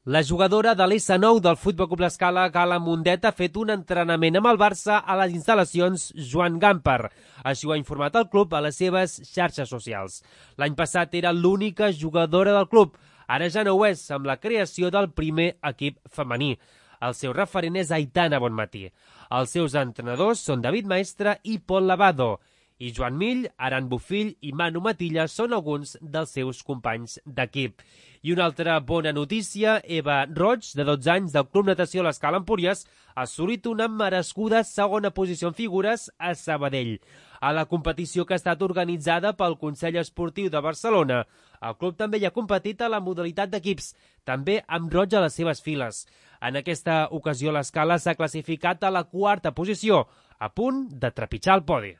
La jugadora de l'S9 del Futbol Club L'Escala, Gala Mundet, ha fet un entrenament amb el Barça a les instal·lacions Joan Gamper. Així ho ha informat el club a les seves xarxes socials. L'any passat era l'única jugadora del club. Ara ja no ho és, amb la creació del primer equip femení. El seu referent és Aitana Bonmatí. Els seus entrenadors són David Maestre i Pol Lavado. I Joan Mill, Aran Bofill i Manu Matilla són alguns dels seus companys d'equip. I una altra bona notícia, Eva Roig, de 12 anys, del Club Natació L'Escala Empúries, ha assolit una merescuda segona posició en figures a Sabadell. A la competició que ha estat organitzada pel Consell Esportiu de Barcelona, el club també hi ha competit a la modalitat d'equips, també amb Roig a les seves files. En aquesta ocasió l'Escala s'ha classificat a la 4a posició, a punt de trepitjar el podi.